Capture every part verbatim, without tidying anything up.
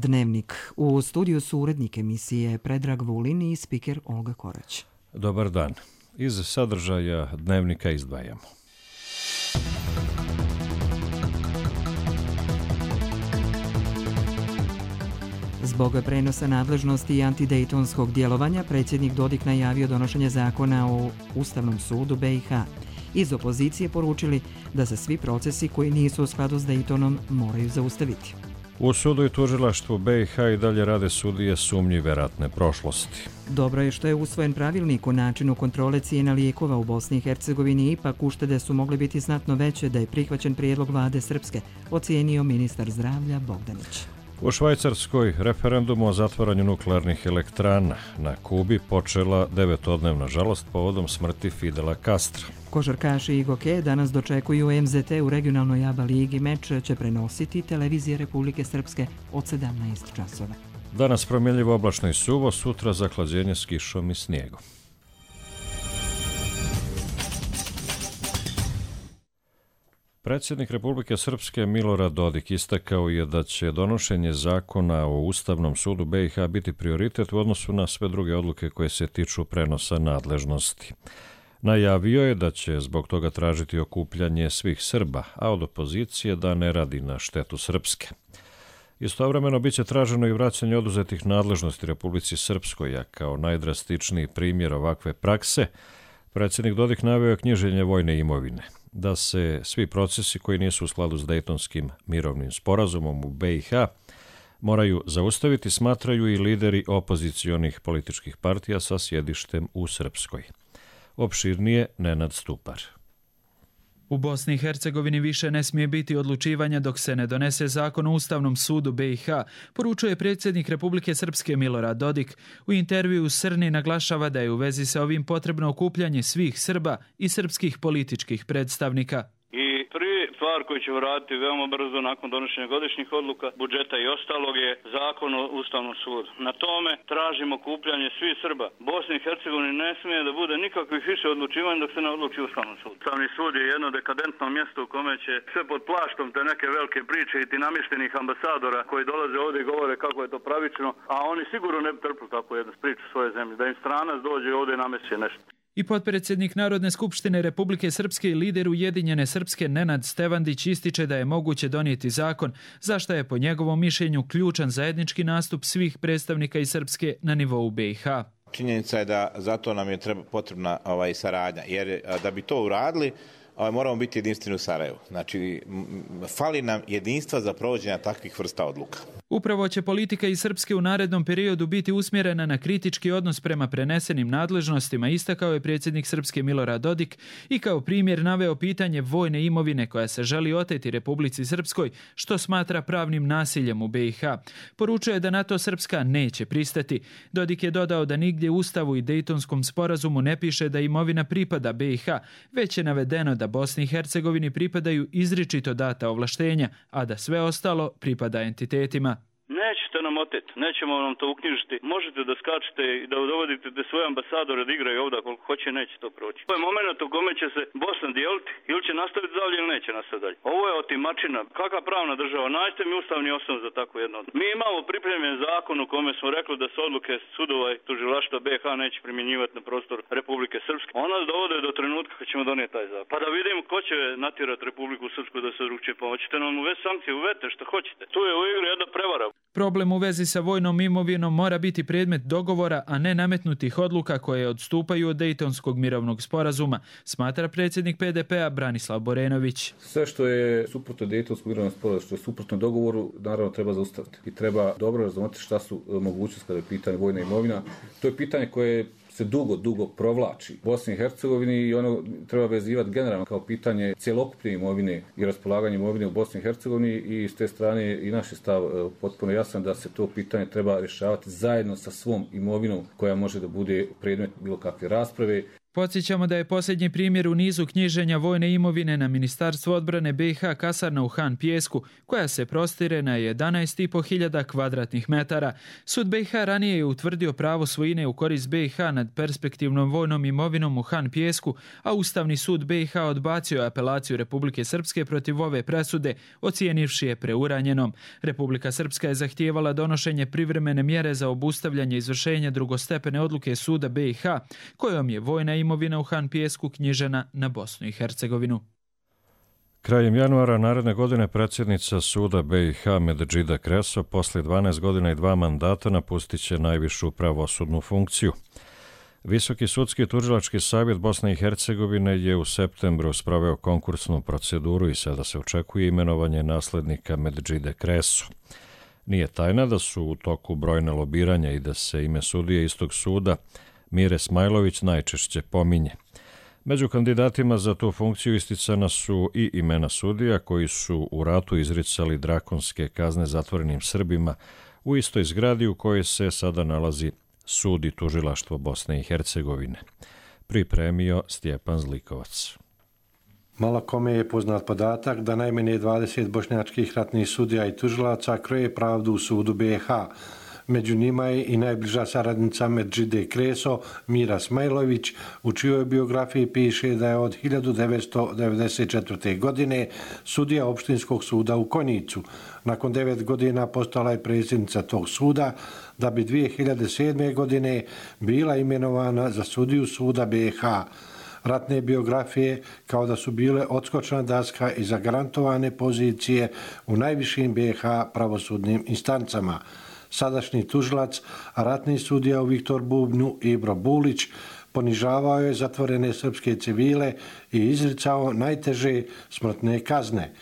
Dnevnik. U studiju su urednik emisije Predrag Vulin i spiker Olga Korać. Dobar dan. Iz sadržaja Dnevnika izdvajamo. Zbog prenosa nadležnosti i antidejtonskog djelovanja, predsjednik Dodik najavio donošenje zakona o Ustavnom sudu B i H. Iz opozicije poručili da se svi procesi koji nisu u skladu s Dejtonom moraju zaustaviti. U sudu i tužilaštvu B i H i dalje rade sudije sumnjive ratne prošlosti. Dobro je što je usvojen pravilnik o načinu kontrole cijena lijekova u Bosni i Hercegovini, ipak uštede su mogle biti znatno veće da je prihvaćen prijedlog vlade Srpske, ocijenio ministar zdravlja Bogdanić. U Švajcarskoj referendumu o zatvaranju nuklearnih elektrana na Kubi počela devetodnevna žalost povodom smrti Fidela Castra. Košarkaši i Goke danas dočekuju M Z T u regionalnoj ABA ligi. Meč će prenositi televizije Republike Srpske od sedamnaest časova. Danas promjenljivo oblačno i suvo, sutra zahlađenje s kišom i snijegom. Predsjednik Republike Srpske Milorad Dodik istakao je da će donošenje zakona o Ustavnom sudu B i H biti prioritet u odnosu na sve druge odluke koje se tiču prenosa nadležnosti. Najavio je da će zbog toga tražiti okupljanje svih Srba, a od opozicije da ne radi na štetu Srpske. Istovremeno bit će traženo i vraćanje oduzetih nadležnosti Republici Srpskoj, a kao najdrastičniji primjer ovakve prakse, predsjednik Dodik naveo je knjiženje vojne imovine, da se svi procesi koji nisu u skladu s Dejtonskim mirovnim sporazumom u B i H moraju zaustaviti, smatraju i lideri opozicionih političkih partija sa sjedištem u Srpskoj. Opširnije Nenad Stupar. U Bosni i Hercegovini više ne smije biti odlučivanja dok se ne donese zakon o Ustavnom sudu B i H, poručuje predsjednik Republike Srpske Milorad Dodik. U intervju u Srni naglašava da je u vezi sa ovim potrebno okupljanje svih Srba i srpskih političkih predstavnika. Stvar koju ćemo raditi veoma brzo nakon donošenja godišnjih odluka, budžeta i ostalog je zakon o Ustavnom sudu. Na tome tražimo okupljanje svih Srba. Bosni i Hercegovini ne smije da bude nikakvih više odlučivanja dok se ne odluči Ustavnom sudu. Ustavni sud je jedno dekadentno mjesto u kome će sve pod plaštom te neke velike priče i ti namještenih ambasadora koji dolaze ovdje i govore kako je to pravično, a oni sigurno ne bi trpili takvu jednu priču svoje zemlje, da im stranac dođe ovdje i namjesti nešto. I potpredsjednik Narodne skupštine Republike Srpske i lider Ujedinjene Srpske Nenad Stevandić ističe da je moguće donijeti zakon, za što je po njegovom mišljenju ključan zajednički nastup svih predstavnika iz Srpske na nivou B i H. Činjenica je da zato nam je treba, potrebna ovaj, saradnja, jer da bi to uradili, ovaj, moramo biti jedinstveni u Sarajevu. Znači, fali nam jedinstva za provođenje takvih vrsta odluka. Upravo će politika iz Srpske u narednom periodu biti usmjerena na kritički odnos prema prenesenim nadležnostima, istakao je predsjednik Srpske Milorad Dodik i kao primjer naveo pitanje vojne imovine koja se želi oteti Republici Srpskoj, što smatra pravnim nasiljem u B i H. Poručuje da na to Srpska neće pristati. Dodik je dodao da nigdje u Ustavu i Dejtonskom sporazumu ne piše da imovina pripada B i H, već je navedeno da Bosni i Hercegovini pripadaju izričito data ovlaštenja, a da sve ostalo pripada entitetima. Nećete nam oteti, nećemo nam to uknjižiti. Možete da skačete i da dovodite da svoje ambasadore da igraju ovdje koliko hoće, neće to proći. Ovo je moment u kome će se Bosna dijeliti, ili će nastaviti dalje ili neće nastaviti dalje. Ovo je otimačina. Kakva pravna država? Nađite mi ustavni osnov za takvu jednu. Mi imamo pripremljen zakon u kome smo rekli da se odluke sudova i tužilaštva B i H neće primjenjivati na prostor Republike Srpske. Ona nas dovode do trenutka kad ćemo donijeti taj zakon. Pa da vidimo ko će natjerati Republiku Srpsku da se drugčije pomoćite nam uvesti sankcije, uvete što hoćete. Tu je u igri jedna prevara. Problem u vezi sa vojnom imovinom mora biti predmet dogovora, a ne nametnutih odluka koje odstupaju od Dejtonskog mirovnog sporazuma, smatra predsjednik P D P-a Branislav Borenović. Sve što je suprotno Dejtonskom mirovnom sporazumu, što je suprotno dogovoru, naravno treba zaustaviti. I treba dobro razumjeti šta su mogućnosti kada je pitanje vojna imovina. To je pitanje koje se dugo, dugo provlači u Bosni i Hercegovini i ono treba vezivati generalno kao pitanje cjelokupne imovine i raspolaganje imovine u Bosni i Hercegovini i s te strane i naš je stav potpuno jasan da se to pitanje treba rješavati zajedno sa svom imovinom koja može da bude predmet bilo kakve rasprave. Podsjećamo da je posljednji primjer u nizu knjiženja vojne imovine na Ministarstvo odbrane B i H kasarna u Han Pijesku, koja se prostire na jedanaest i po hiljada kvadratnih metara. Sud B i H ranije je utvrdio pravo svojine u korist B i H nad perspektivnom vojnom imovinom u Han Pijesku, a Ustavni sud B i H odbacio je apelaciju Republike Srpske protiv ove presude, ocijenivši je preuranjenom. Republika Srpska je zahtijevala donošenje privremene mjere za obustavljanje izvršenja drugostepene odluke suda B i H, kojom je vojna imovina u Han Pijesku knjižena na Bosnu i Hercegovinu. Krajem januara naredne godine predsjednica suda B i H Medžida Kreso posle dvanaest godina i dva mandata napustit će najvišu pravosudnu funkciju. Visoki sudski tužilački savjet Bosne i Hercegovine je u septembru sproveo konkursnu proceduru i sada se očekuje imenovanje naslednika Medžide Kreso. Nije tajna da su u toku brojne lobiranja i da se ime sudije istog suda Mire Smajlović najčešće pominje. Među kandidatima za tu funkciju isticana su i imena sudija koji su u ratu izricali drakonske kazne zatvorenim Srbima u istoj zgradi u kojoj se sada nalazi sud i tužilaštvo Bosne i Hercegovine. Pripremio Stjepan Zlikovac. Malo kome je poznat podatak da najmanje dvadeset bošnjačkih ratnih sudija i tužilaca kroje pravdu u sudu B i H. Među njima je i najbliža saradnica Medžide Kreso, Mira Smajlović, u čijoj biografiji piše da je od hiljadu devetsto devedeset četvrte. godine sudija opštinskog suda u Konjicu. Nakon devet godina postala je predsjednica tog suda, da bi dvije hiljade sedme. godine bila imenovana za sudiju suda B i H. Ratne biografije kao da su bile odskočna daska i zagarantovane pozicije u najvišim B i H pravosudnim instancama. Sadašnji tužilac, a ratni sudija u Viktor Bubnju Ibro Bulić, ponižavao je zatvorene srpske civile i izricao najteže smrtne kazne.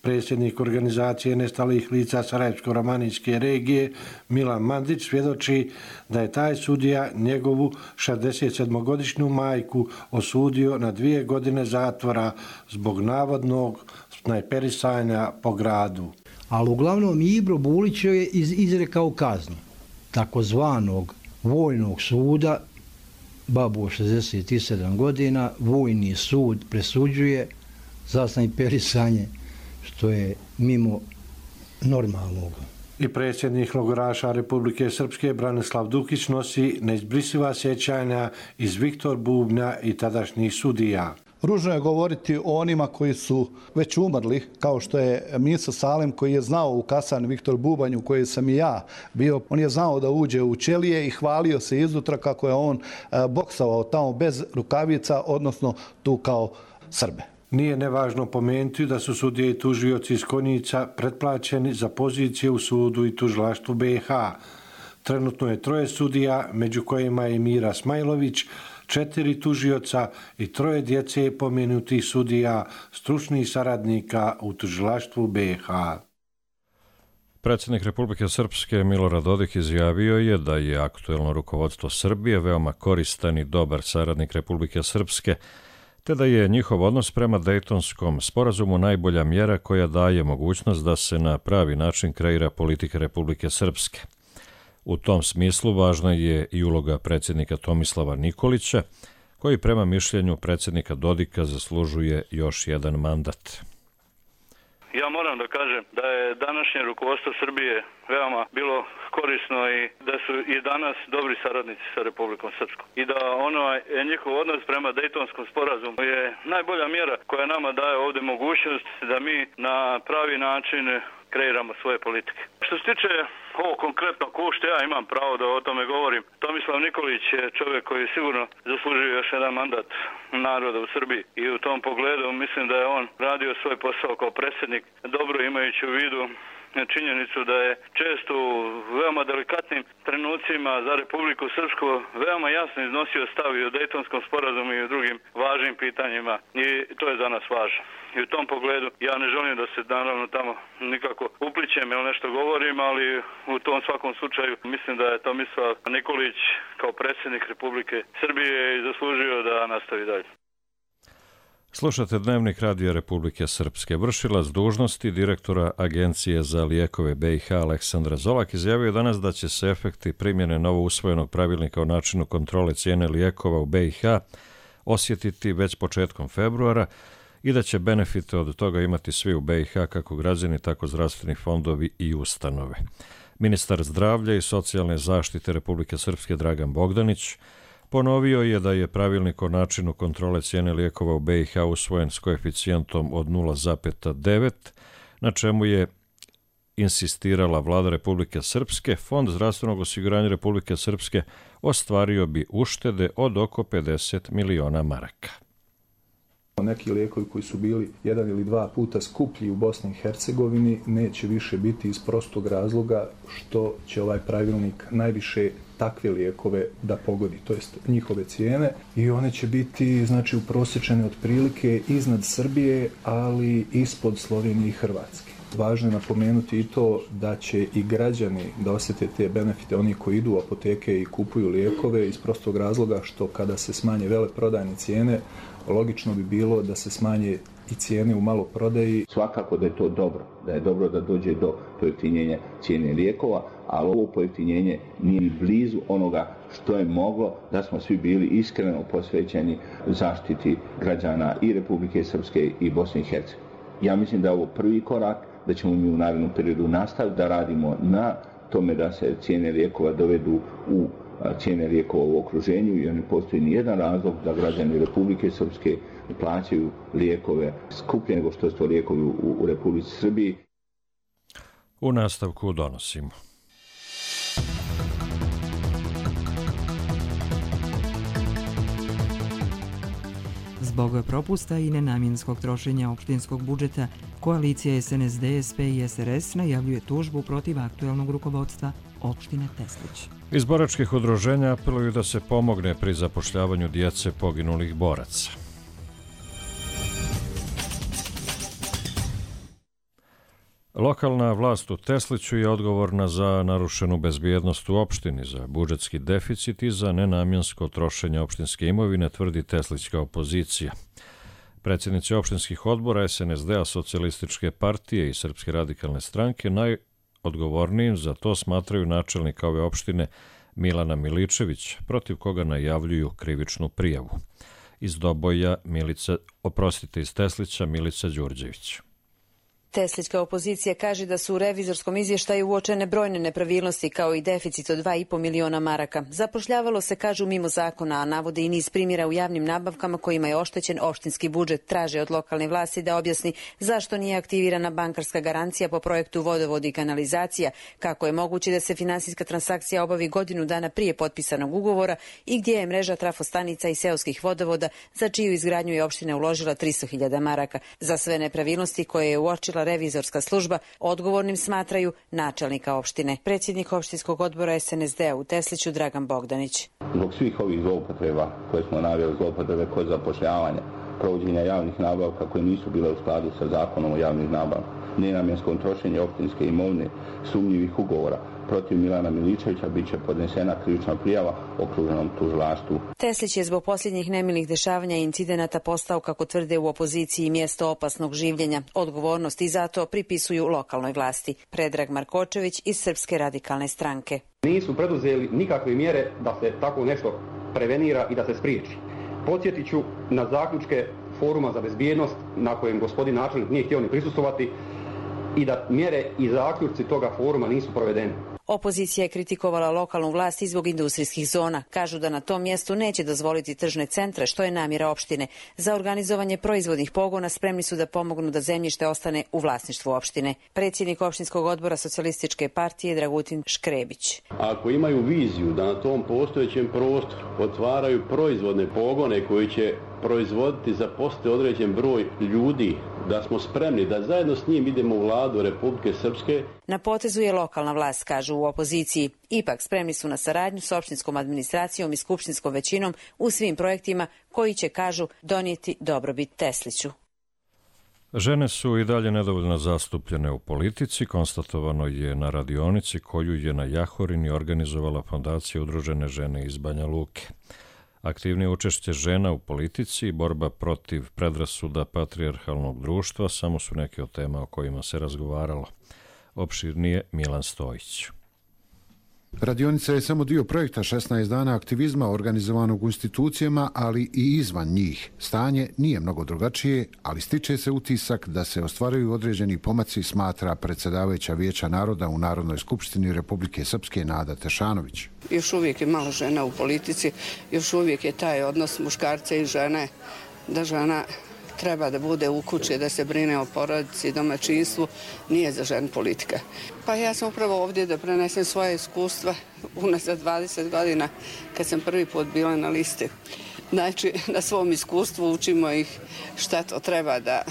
Predsjednik organizacije nestalih lica Sarajevsko-romanijske regije Milan Mandić svjedoči da je taj sudija njegovu šezdesetsedmogodišnju majku osudio na dvije godine zatvora zbog navodnog snajperisanja po gradu. Ali uglavnom Ibro Bulić je izrekao kaznu takozvanog vojnog suda, babu od šezdeset sedam godina, vojni sud presuđuje za snajperisanje, što je mimo normalnog. I predsjednik logoraša Republike Srpske Branislav Dukić nosi neizbrisiva sjećanja iz Viktor Bubnja i tadašnjih sudija. Ružno je govoriti o onima koji su već umrli, kao što je Miso Salem, koji je znao u kasarni Viktor Bubanj, u kojoj sam i ja bio. On je znao da uđe u ćelije i hvalio se izutra kako je on boksovao tamo bez rukavica, odnosno tu kao Srbe. Nije nevažno pomenuti da su sudije i tužioci iz Konjica pretplaćeni za pozicije u sudu i tužilaštvu B i H. Trenutno je troje sudija, među kojima je Mira Smajlović, četiri tužioca i troje djece pomenutih sudija, stručnih saradnika u tužilaštvu B i H. Predsjednik Republike Srpske Milorad Dodik izjavio je da je aktuelno rukovodstvo Srbije veoma koristan i dobar saradnik Republike Srpske, te da je njihov odnos prema Dejtonskom sporazumu najbolja mjera koja daje mogućnost da se na pravi način kreira politika Republike Srpske. U tom smislu važna je i uloga predsjednika Tomislava Nikolića, koji prema mišljenju predsjednika Dodika zaslužuje još jedan mandat. Ja moram da kažem da je današnje rukovodstvo Srbije veoma bilo korisno i da su i danas dobri saradnici sa Republikom Srpskom. I da ono je njihov odnos prema Dejtonskom sporazumu je najbolja mjera koja nama daje ovdje mogućnost da mi na pravi način kreiramo svoje politike. Što se tiče ovo konkretno ko što ja imam pravo da o tome govorim, Tomislav Nikolić je čovjek koji sigurno zaslužuje još jedan mandat naroda u Srbiji i u tom pogledu mislim da je on radio svoj posao kao predsjednik, dobro imajući u vidu činjenicu da je često u veoma delikatnim trenucima za Republiku Srpsku veoma jasno iznosio stav i o Dejtonskom sporazumu i o drugim važnim pitanjima i to je za nas važno. I u tom pogledu ja ne želim da se naravno tamo nikako uplićem ili nešto govorim, ali u tom svakom slučaju mislim da je Tomislav Nikolić kao predsjednik Republike Srbije i zaslužio da nastavi dalje. Slušate Dnevnik Radija Republike Srpske. Vršilac dužnosti direktora Agencije za lijekove B i H Aleksandar Zolak izjavio danas da će se efekti primjene novo usvojenog pravilnika o načinu kontrole cijene lijekova u B i H osjetiti već početkom februara i da će benefite od toga imati svi u B i H, kako građani, tako zdravstveni fondovi i ustanove. Ministar zdravlja i socijalne zaštite Republike Srpske Dragan Bogdanić ponovio je da je pravilnik o načinu kontrole cijene lijekova u B i H usvojen s koeficijentom od nula zarez devet, na čemu je insistirala vlada Republike Srpske. Fond zdravstvenog osiguranja Republike Srpske ostvario bi uštede od oko pedeset miliona maraka. Neki lijekovi koji su bili jedan ili dva puta skuplji u Bosni i Hercegovini neće više biti iz prostog razloga što će ovaj pravilnik najviše takve lijekove da pogodi, to jest njihove cijene, i one će biti znači uprosječene otprilike iznad Srbije, ali ispod Slovenije i Hrvatske. Važno je napomenuti i to da će i građani da osjete te benefite, oni koji idu u apoteke i kupuju lijekove, iz prostog razloga što kada se smanje veleprodajne cijene, logično bi bilo da se smanje i cijene u maloprodaji. Svakako da je to dobro, da je dobro da dođe do pojeftinjenja cijene lijekova, ali ovo pojeftinjenje nije ni blizu onoga što je moglo da smo svi bili iskreno posvećeni zaštiti građana i Republike Srpske i Bosne i Hercegovine. Ja mislim da je ovo prvi korak, da ćemo mi u narednom periodu nastaviti da radimo na tome da se cijene lijekova dovedu u cijene lijekova u okruženju, i ne postoji ni jedan razlog da građani Republike Srpske plaćaju lijekove skuplje nego što su to lijekovi u, u Republici Srbiji. U nastavku donosimo. Zbog propusta i nenamjenskog trošenja opštinskog budžeta, koalicija S N S D, S P i S R S najavljuje tužbu protiv aktuelnog rukovodstva opštine Teslić. Iz boračkih udruženja apeluju da se pomogne pri zapošljavanju djece poginulih boraca. Lokalna vlast u Tesliću je odgovorna za narušenu bezbjednost u opštini, za budžetski deficit i za nenamjensko trošenje opštinske imovine, tvrdi teslićka opozicija. Predsjednici opštinskih odbora S N S D-a, Socijalističke partije i Srpske radikalne stranke najodgovornijim za to smatraju načelnika ove opštine Milana Miličević, protiv koga najavljuju krivičnu prijavu. Iz Doboja, Milica, oprostite, iz Teslića, Milica Đurđević. Teslićka opozicija kaže da su u revizorskom izvještaju uočene brojne nepravilnosti kao i deficit od dva i po miliona maraka. Zapošljavalo se, kažu, mimo zakona, a navode i niz primjera u javnim nabavkama kojima je oštećen opštinski budžet. Traže od lokalne vlasti da objasni zašto nije aktivirana bankarska garancija po projektu vodovod i kanalizacija, kako je moguće da se finansijska transakcija obavi godinu dana prije potpisanog ugovora i gdje je mreža trafostanica i seoskih vodovoda za čiju izgradnju je opština uložila tristo hiljada maraka. Za sve nepravilnosti koje je uočila revizorska služba odgovornim smatraju načelnika opštine. Predsjednik opštinskog odbora S N S D-a u Tesliću Dragan Bogdanić. Zbog svih ovih zloupotreba koje smo naveli, zloupotrebe kod zapošljavanja, provođenja javnih nabavka koje nisu bile u skladu sa zakonom o javnih nabavkama, nenamjenskom trošenju opštinske imovine, sumnjivih ugovora, protiv Milana Miličevića bit će podnesena krivična prijava okruženom tužilaštvu. Teslić je zbog posljednjih nemilih dešavanja i incidenata postao, kako tvrde u opoziciji, mjesto opasnog življenja. Odgovornost i za to pripisuju lokalnoj vlasti. Predrag Markočević iz Srpske radikalne stranke. Nisu preduzeli nikakve mjere da se tako nešto prevenira i da se spriječi. Podsjetit ću na zaključke Foruma za bezbjednost na kojem gospodin načelnik nije htio ni prisustvovati i da mjere i zaključci toga foruma nisu provedeni. Opozicija je kritikovala lokalnu vlast i zbog industrijskih zona. Kažu da na tom mjestu neće dozvoliti tržne centre, što je namjera opštine. Za organizovanje proizvodnih pogona spremni su da pomognu da zemljište ostane u vlasništvu opštine. Predsjednik opštinskog odbora Socijalističke partije Dragutin Škrebić. Ako imaju viziju da na tom postojećem prostoru otvaraju proizvodne pogone koji će proizvoditi za postoje određen broj ljudi, da smo spremni da zajedno s njim idemo u vladu Republike Srpske. Na potezu je lokalna vlast, kažu u opoziciji. Ipak spremni su na saradnju s opštinskom administracijom i skupštinskom većinom u svim projektima koji će, kažu, donijeti dobrobit Tesliću. Žene su i dalje nedovoljno zastupljene u politici, konstatovano je na radionici koju je na Jahorini organizovala Fondacija Udružene žene iz Banja Luke. Aktivnije učešće žena u politici i borba protiv predrasuda patrijarhalnog društva samo su neke od tema o kojima se razgovaralo. Opširnije Milan Stojić. Radionica je samo dio projekta šesnaest dana aktivizma organizovanog u institucijama, ali i izvan njih. Stanje nije mnogo drugačije, ali stiče se utisak da se ostvaruju određeni pomaci, smatra predsjedavajuća Vijeća naroda u Narodnoj skupštini Republike Srpske Nada Tešanović. Još uvijek je malo žena u politici, još uvijek je taj odnos muškarca i žene, da žena treba da bude u kući, da se brine o porodici i domaćinstvu, nije za ženu politika. Pa ja sam upravo ovdje da prenesem svoje iskustva unazad dvadeset godina kad sam prvi put bila na listi. Znači, na svom iskustvu učimo ih šta to treba da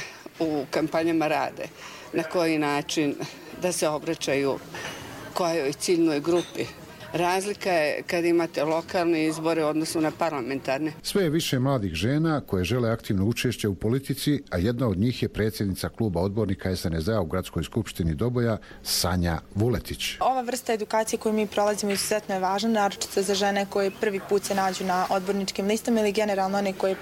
u kampanjama rade, na koji način da se obraćaju kojoj ciljnoj grupi. Razlika je kad imate lokalne izbore u odnosu na parlamentarne. Sve je više mladih žena koje žele aktivno učešće u politici, a jedna od njih je predsjednica kluba odbornika es en es de-a u Gradskoj skupštini Doboja, Sanja Vuletić. Ova vrsta edukacije koju mi prolazimo izuzetno je važna, naročito za žene koje prvi put se nađu na odborničkim listama ili generalno one koje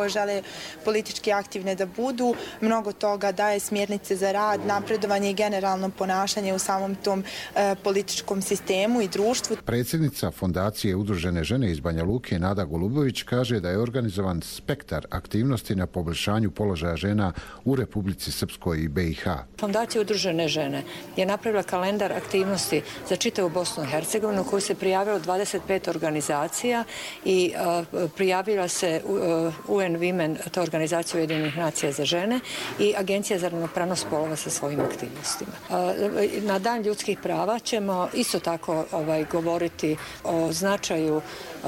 žele politički aktivne da budu. Mnogo toga daje smjernice za rad, napredovanje i generalno ponašanje u samom tom e, političkom sistemu i društvu. Predsjednica Fondacije Udružene žene iz Banja Luke, Nada Golubović, kaže da je organizovan spektar aktivnosti na poboljšanju položaja žena u Republici Srpskoj i be i ha. Fondacija Udružene žene je napravila kalendar aktivnosti za čitavu Bosnu i Hercegovinu, koju se prijavilo dvadeset pet organizacija i uh, prijavila se uh, U N Women, to je organizacija Ujedinjenih nacija za žene, i Agencija za ravnopravnost spolova sa svojim aktivnostima. Uh, na Dan ljudskih prava ćemo isto tako ovaj, govoriti o značaju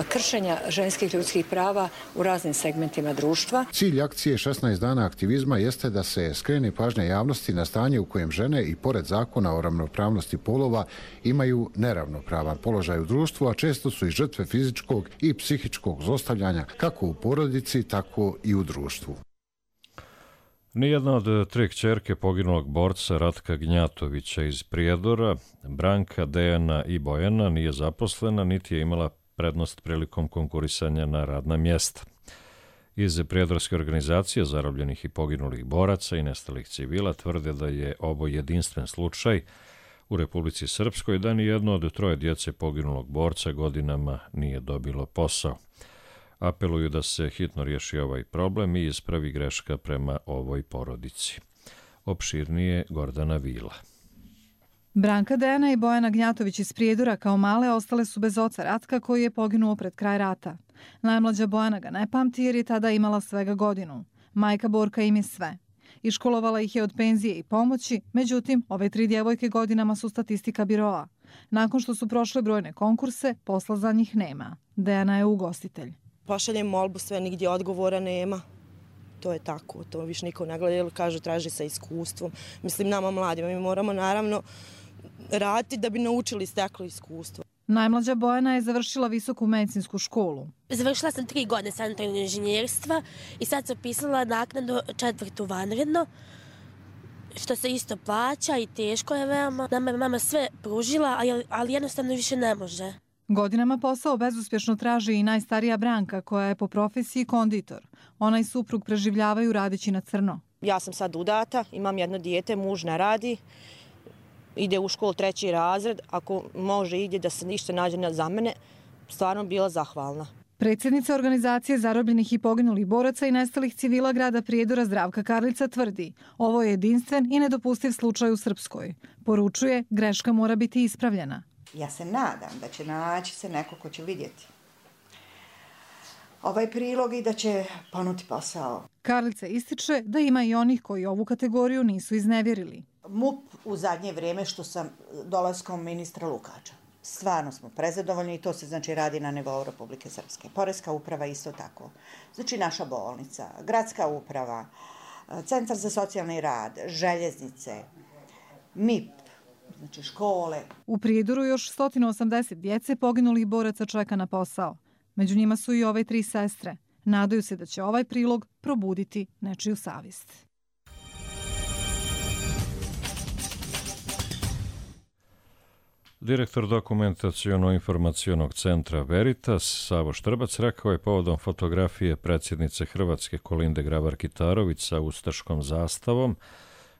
kršenja ženskih ljudskih prava u raznim segmentima društva. Cilj akcije šesnaest dana aktivizma jeste da se skrene pažnja javnosti na stanje u kojem žene i pored zakona o ravnopravnosti polova imaju neravnopravan položaj u društvu, a često su i žrtve fizičkog i psihičkog zlostavljanja kako u porodici, tako i u društvu. Nijedna od tri kćerke poginulog borca Ratka Gnjatovića iz Prijedora, Branka, Dejana i Bojana, nije zaposlena, niti je imala prednost prilikom konkurisanja na radna mjesta. Iz Prijedorske organizacije zarobljenih i poginulih boraca i nestalih civila tvrde da je ovo jedinstven slučaj u Republici Srpskoj, da ni jedno od troje djece poginulog borca godinama nije dobilo posao. Apeluju da se hitno riješi ovaj problem i ispravi greška prema ovoj porodici. Opširnije Gordana Vila. Branka, Dejana i Bojana Gnjatović iz Prijedora kao male ostale su bez oca Ratka, koji je poginuo pred kraj rata. Najmlađa Bojana ga ne pamti jer je tada imala svega godinu. Majka Borka im je sve. Iškolovala ih je od penzije i pomoći, međutim, ove tri djevojke godinama su statistika biroa. Nakon što su prošle brojne konkurse, posla za njih nema. Dejana je ugostitelj. Pošaljem molbu, sve nigdje odgovora nema. To je tako, to više niko ne gleda, jer kažu traži sa iskustvom. Mislim, nama mladima, mi moramo naravno raditi da bi naučili steklo iskustvo. Najmlađa Bojana je završila visoku medicinsku školu. Završila sam tri godine sanitarnog inženjerstva i sad sam pisala naknadu četvrtu vanredno, što se isto plaća i teško je veoma. Nama je mama sve pružila, ali jednostavno više ne može. Godinama posao bezuspješno traži i najstarija Branka, koja je po profesiji konditor. Ona i suprug preživljavaju radeći na crno. Ja sam sad udata, imam jedno dijete, muž ne radi, ide u školu treći razred, ako može ide da se ništa nađe za mene, stvarno bila zahvalna. Predsjednica organizacije zarobljenih i poginulih boraca i nestalih civila grada Prijedora Zdravka Karlica tvrdi: ovo je jedinstven i nedopustiv slučaj u Srpskoj. Poručuje, greška mora biti ispravljena. Ja se nadam da će naći se neko ko će vidjeti ovaj prilog i da će ponuti posao. Karlica ističe da ima i onih koji ovu kategoriju nisu iznevjerili. M U P u zadnje vrijeme što sam dolaskom ministra Lukača. Stvarno smo prezadovoljni i to se znači radi na nivou Republike Srpske. Poreska uprava isto tako. Znači naša bolnica, gradska uprava, centar za socijalni rad, željeznice, M I P, znači škole. U Prijedoru još sto osamdeset djece poginulih boraca čeka na posao. Među njima su i ove tri sestre. Nadaju se da će ovaj prilog probuditi nečiju savjest. Direktor dokumentaciono-informacionog centra Veritas, Savo Štrbac, rekao je povodom fotografije predsjednice Hrvatske Kolinde Grabar-Kitarović sa ustaškom zastavom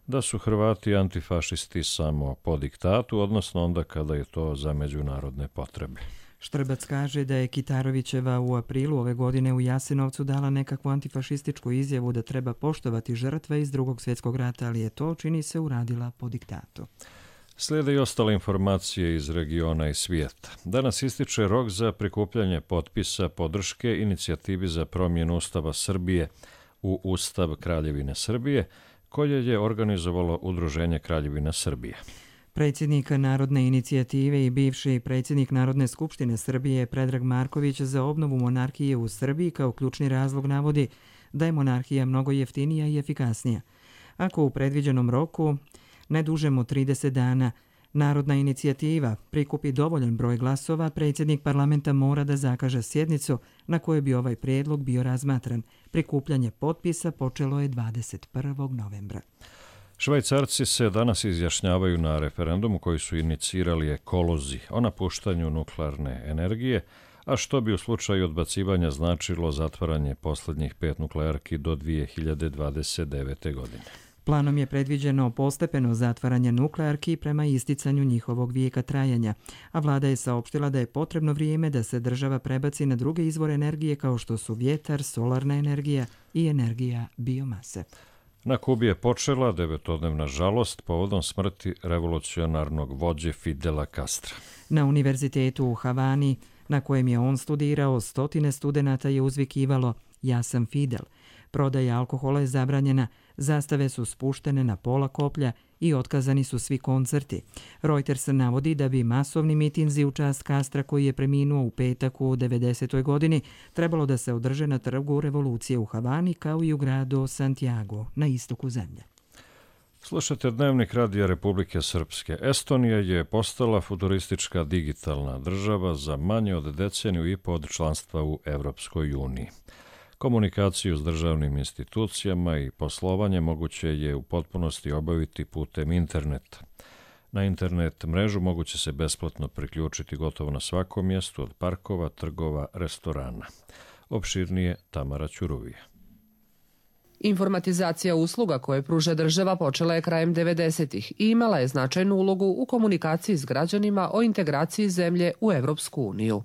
da su Hrvati antifašisti samo po diktatu, odnosno onda kada je to za međunarodne potrebe. Štrbac kaže da je Kitarovićeva u aprilu ove godine u Jasenovcu dala nekakvu antifašističku izjavu da treba poštovati žrtve iz Drugog svjetskog rata, ali je to, čini se, uradila po diktatu. Slijede i ostale informacije iz regiona i svijeta. Danas ističe rok za prikupljanje potpisa podrške inicijativi za promjenu Ustava Srbije u Ustav Kraljevine Srbije, koje je organizovalo Udruženje Kraljevina Srbije. Predsjednik Narodne inicijative i bivši predsjednik Narodne skupštine Srbije Predrag Marković za obnovu monarhije u Srbiji kao ključni razlog navodi da je monarhija mnogo jeftinija i efikasnija. Ako u predviđenom roku, ne dužem od trideset dana, Narodna inicijativa prikupi dovoljan broj glasova, predsjednik parlamenta mora da zakaže sjednicu na kojoj bi ovaj prijedlog bio razmatran. Prikupljanje potpisa počelo je dvadeset prvog novembra. Švajcarci se danas izjašnjavaju na referendumu koji su inicirali ekolozi o napuštanju nuklearne energije, a što bi u slučaju odbacivanja značilo zatvaranje posljednjih pet nuklearki do dvije hiljade dvadeset devete. godine. Planom je predviđeno postepeno zatvaranje nuklearki prema isticanju njihovog vijeka trajanja, a vlada je saopštila da je potrebno vrijeme da se država prebaci na druge izvore energije kao što su vjetar, solarna energija i energija biomase. Na Kubi je počela devetodnevna žalost povodom smrti revolucionarnog vođe Fidela Castra. Na univerzitetu u Havani, na kojem je on studirao, stotine studenata je uzvikivalo "Ja sam Fidel". Prodaja alkohola je zabranjena, zastave su spuštene na pola koplja i otkazani su svi koncerti. Reuters navodi da bi masovni mitinzi u čast Castra, koji je preminuo u petak u devedesetoj godini, trebalo da se održe na trgu Revolucije u Havani kao i u gradu Santiago na istoku zemlje. Slušate Dnevnik Radija Republike Srpske. Estonija je postala futuristička digitalna država za manje od deceniju i po od članstva u Evropskoj uniji. Komunikaciju s državnim institucijama i poslovanje moguće je u potpunosti obaviti putem interneta. Na internet mrežu moguće se besplatno priključiti gotovo na svakom mjestu, od parkova, trgova, restorana. Opširnije Tamara Ćuruvija. Informatizacija usluga koje pruža država počela je krajem devedesetih i imala je značajnu ulogu u komunikaciji s građanima o integraciji zemlje u Evropsku uniju.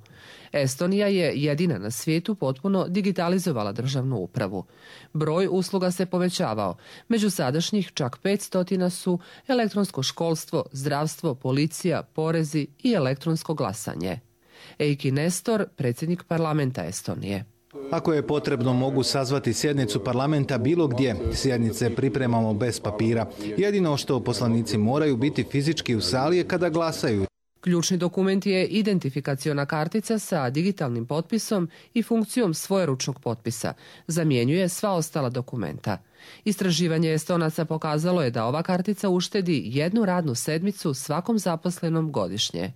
Estonija je jedina na svijetu potpuno digitalizovala državnu upravu. Broj usluga se povećavao. Među sadašnjih čak petsto su elektronsko školstvo, zdravstvo, policija, porezi i elektronsko glasanje. Eiki Nestor, predsjednik parlamenta Estonije. Ako je potrebno, mogu sazvati sjednicu parlamenta bilo gdje. Sjednice pripremamo bez papira. Jedino što poslanici moraju biti fizički u sali je kada glasaju. Ključni dokument je identifikaciona kartica sa digitalnim potpisom i funkcijom svojeručnog potpisa. Zamjenjuje sva ostala dokumenta. Istraživanje Estonaca pokazalo je da ova kartica uštedi jednu radnu sedmicu svakom zaposlenom godišnje.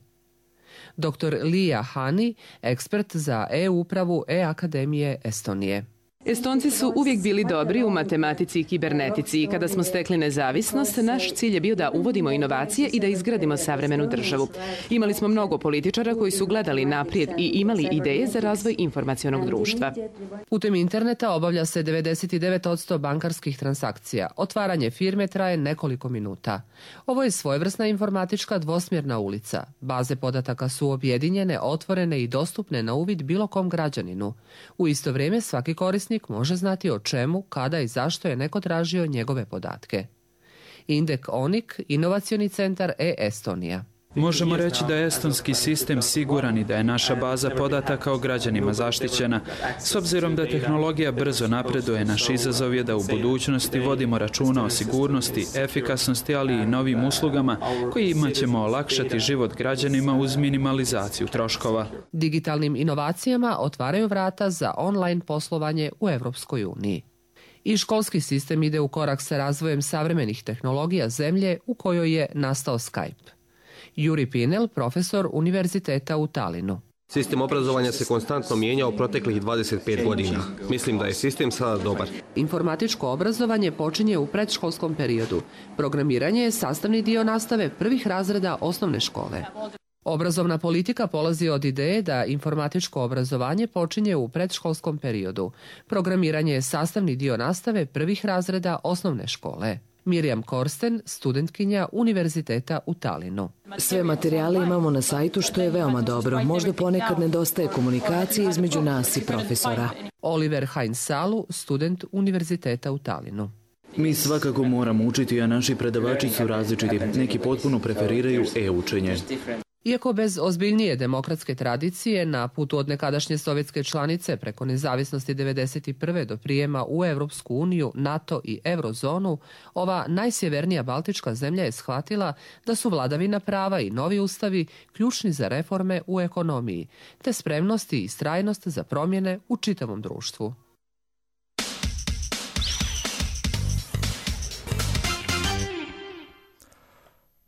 doktor Lija Hani, ekspert za e-upravu E-akademije Estonije. Estonci su uvijek bili dobri u matematici i kibernetici i kada smo stekli nezavisnost, naš cilj je bio da uvodimo inovacije i da izgradimo savremenu državu. Imali smo mnogo političara koji su gledali naprijed i imali ideje za razvoj informacionog društva. Putem interneta obavlja se devedeset devet posto bankarskih transakcija. Otvaranje firme traje nekoliko minuta. Ovo je svojevrsna informatička dvosmjerna ulica. Baze podataka su objedinjene, otvorene i dostupne na uvid bilo kom građaninu. U isto vrijeme svaki korisnik može znati o čemu, kada i zašto je neko tražio njegove podatke. Indek Onik, inovacioni centar e-Estonija. Možemo reći da je estonski sistem siguran i da je naša baza podataka o građanima zaštićena. S obzirom da tehnologija brzo napreduje, naš izazov je da u budućnosti vodimo računa o sigurnosti, efikasnosti, ali i novim uslugama kojima ćemo olakšati život građanima uz minimalizaciju troškova. Digitalnim inovacijama otvaraju vrata za online poslovanje u Evropskoj uniji. I školski sistem ide u korak sa razvojem savremenih tehnologija zemlje u kojoj je nastao Skype. Juri Pinel, profesor univerziteta u Talinu. Sistem obrazovanja se konstantno mijenjao proteklih dvadeset pet godina. Mislim da je sistem sada dobar. Informatičko obrazovanje počinje u predškolskom periodu. Programiranje je sastavni dio nastave prvih razreda osnovne škole. Obrazovna politika polazi od ideje da informatičko obrazovanje počinje u predškolskom periodu. Programiranje je sastavni dio nastave prvih razreda osnovne škole. Mirjam Korsten, studentkinja Univerziteta u Talinu. Sve materijale imamo na sajtu, što je veoma dobro. Možda ponekad nedostaje komunikacije između nas i profesora. Oliver Heinz Salu, student Univerziteta u Talinu. Mi svakako moramo učiti, a naši predavači su različiti. Neki potpuno preferiraju e-učenje. Iako bez ozbiljnije demokratske tradicije, na putu od nekadašnje sovjetske članice preko nezavisnosti devedeset prve do prijema u Evropsku uniju, NATO i Eurozonu, ova najsjevernija baltička zemlja je shvatila da su vladavina prava i novi ustavi ključni za reforme u ekonomiji, te spremnost i istrajnost za promjene u čitavom društvu.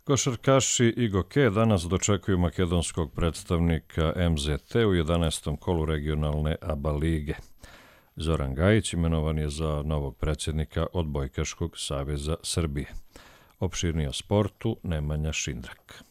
Košarkaši I G O K danas dočekuju makedonskog predstavnika M Z T u jedanaestom kolu regionalne ABA lige. Zoran Gajić imenovan je za novog predsjednika Odbojkaškog saveza Srbije. Opširnije o sportu Nemanja Šindrak.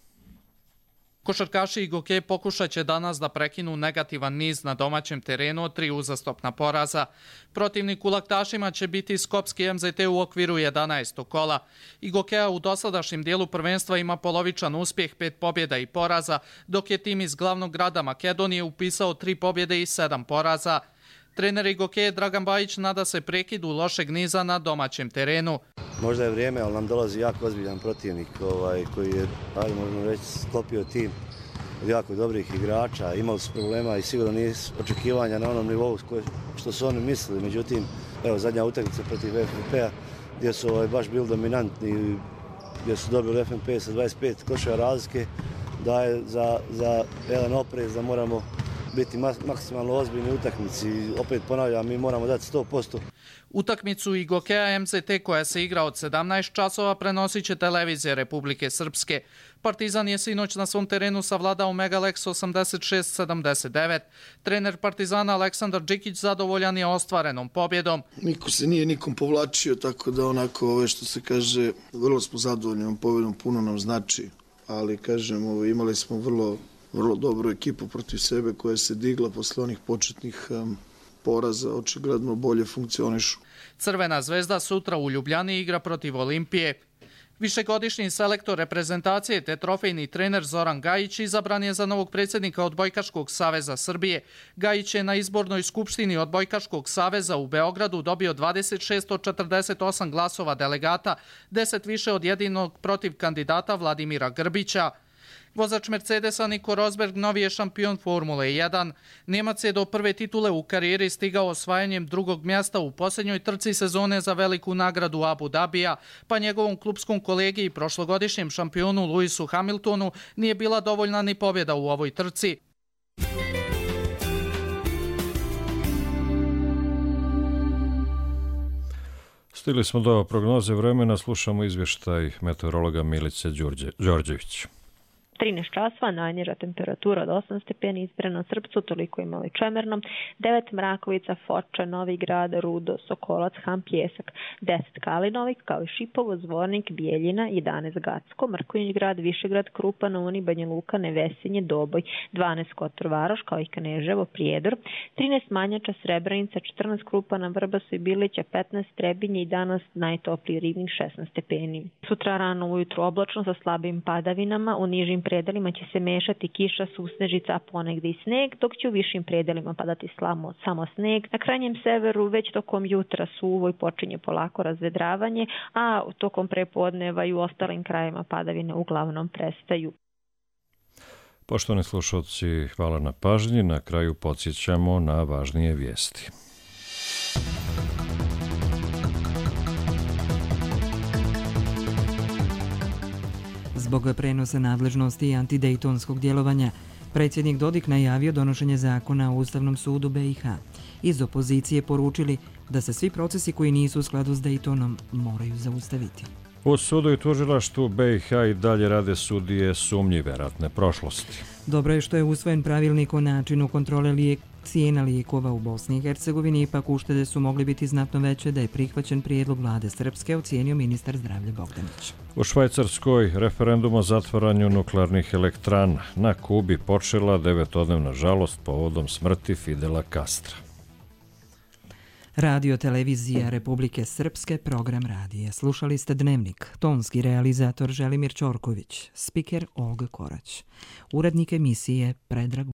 Košarkaši I G O K pokušat će danas da prekinu negativan niz na domaćem terenu od tri uzastopna poraza. Protivnik u laktašima će biti skopski M Z T u okviru jedanaestog kola. I G O K u dosadašnjem dijelu prvenstva ima polovičan uspjeh, pet pobjeda i poraza, dok je tim iz glavnog grada Makedonije upisao tri pobjede i sedam poraza. Trener I G O K Dragan Bajić nada se prekidu lošeg niza na domaćem terenu. Možda je vrijeme, ali nam dolazi jako ozbiljan protivnik ovaj, koji je, ajde možemo reći, sklopio tim od jako dobrih igrača. Imali su problema i sigurno nije očekivanja na onom nivou što su oni mislili. Međutim, evo, zadnja utakmica protiv F N P-a gdje su ovaj, baš bili dominantni, gdje su dobili F N P sa dvadeset pet koševa razlike, daje za, za jedan oprez da moramo biti maksimalno ozbiljni utakmici. Opet ponavljam, mi moramo dati sto posto. Utakmicu I G O K-a M Z T koja se igra od sedamnaest časova prenosit će televizije Republike Srpske. Partizan je sinoć na svom terenu savladao Megalex osamdeset šest sedamdeset devet. Trener Partizana Aleksandar Đikić zadovoljan je ostvarenom pobjedom. Niko se nije nikom povlačio, tako da onako ove što se kaže, vrlo smo zadovoljni ovom pobjedom, puno nam znači, ali kažem, ovo, imali smo vrlo vrlo dobru ekipu protiv sebe koja se digla posle onih početnih um, poraza, očigledno bolje funkcionišu. Crvena zvezda sutra u Ljubljani igra protiv Olimpije. Višegodišnji selektor reprezentacije te trofejni trener Zoran Gajić izabran je za novog predsjednika Odbojkaškog saveza Srbije. Gajić je na izbornoj skupštini Odbojkaškog saveza u Beogradu dobio dvadeset šest od četrdeset osam glasova delegata, deset više od jedinog protiv kandidata Vladimira Grbića. Vozač Mercedesa Nico Rosberg novi je šampion Formule jedan. Njemac je do prve titule u karijeri stigao osvajanjem drugog mjesta u posljednjoj trci sezone za veliku nagradu Abu Dhabija, pa njegovom klupskom kolegi i prošlogodišnjem šampionu Lewisu Hamiltonu nije bila dovoljna ni pobjeda u ovoj trci. Stigli smo do prognoze vremena, slušamo izvještaj meteorologa Milice Đorđević. trinaest časova, najniža temperatura od osam stepeni, Izbrano, Srpcu, toliko imali čemerno, devet Mrakovica, Foča, Novi Grad, Rudo, Sokolac, Han, Pjesak, deset Kalinovik, kao i Šipovo, Zvornik, Bijeljina, jedanaest Gacko, Mrkonjić Grad, Višegrad, Krupa, na Uni, Banja Luka, Nevesinje, Doboj, dvanaest Kotor Varoš, kao i Kaneževo, Prijedor, trinaest Manjača, Srebrenica, četrnaest Krupa, na Vrbasu i Bilića, petnaest Trebinje i danas najtopliji Rivnik, šesnaest stepeni. Sutra rano ujutru oblačno sa slabim padavinama, u nižim predelima će se mešati kiša, susnežica, a ponegdje i sneg, dok će u višim predelima padati slamo, samo sneg. Na krajnjem severu već tokom jutra suvo i počinje polako razvedravanje, a tokom prepodneva i u ostalim krajima padavine uglavnom prestaju. Poštovani slušalci, hvala na pažnji. Na kraju podsjećamo na važnije vijesti. Zbog prenosa nadležnosti i antidejtonskog djelovanja, predsjednik Dodik najavio donošenje zakona o Ustavnom sudu B i H. Iz opozicije poručili da se svi procesi koji nisu u skladu s Dejtonom moraju zaustaviti. U sudu i tužilaštvu B i H i dalje rade sudije sumnjive ratne prošlosti. Dobro je što je usvojen pravilnik o načinu kontrole lijek, cijena lijekova u Bosni i Hercegovini, ipak uštede su mogli biti znatno veće da je prihvaćen prijedlog vlade Srpske, ocijenio ministar zdravlja Bogdanić. U Švajcarskoj referendum o zatvaranju nuklearnih elektrana. Na Kubi počela devetodnevna žalost povodom smrti Fidela Castra. Radio televizija Republike Srpske, program radija. Slušali ste Dnevnik, tonski realizator Želimir Ćorković, spiker Olga Korać, urednik emisije Predrag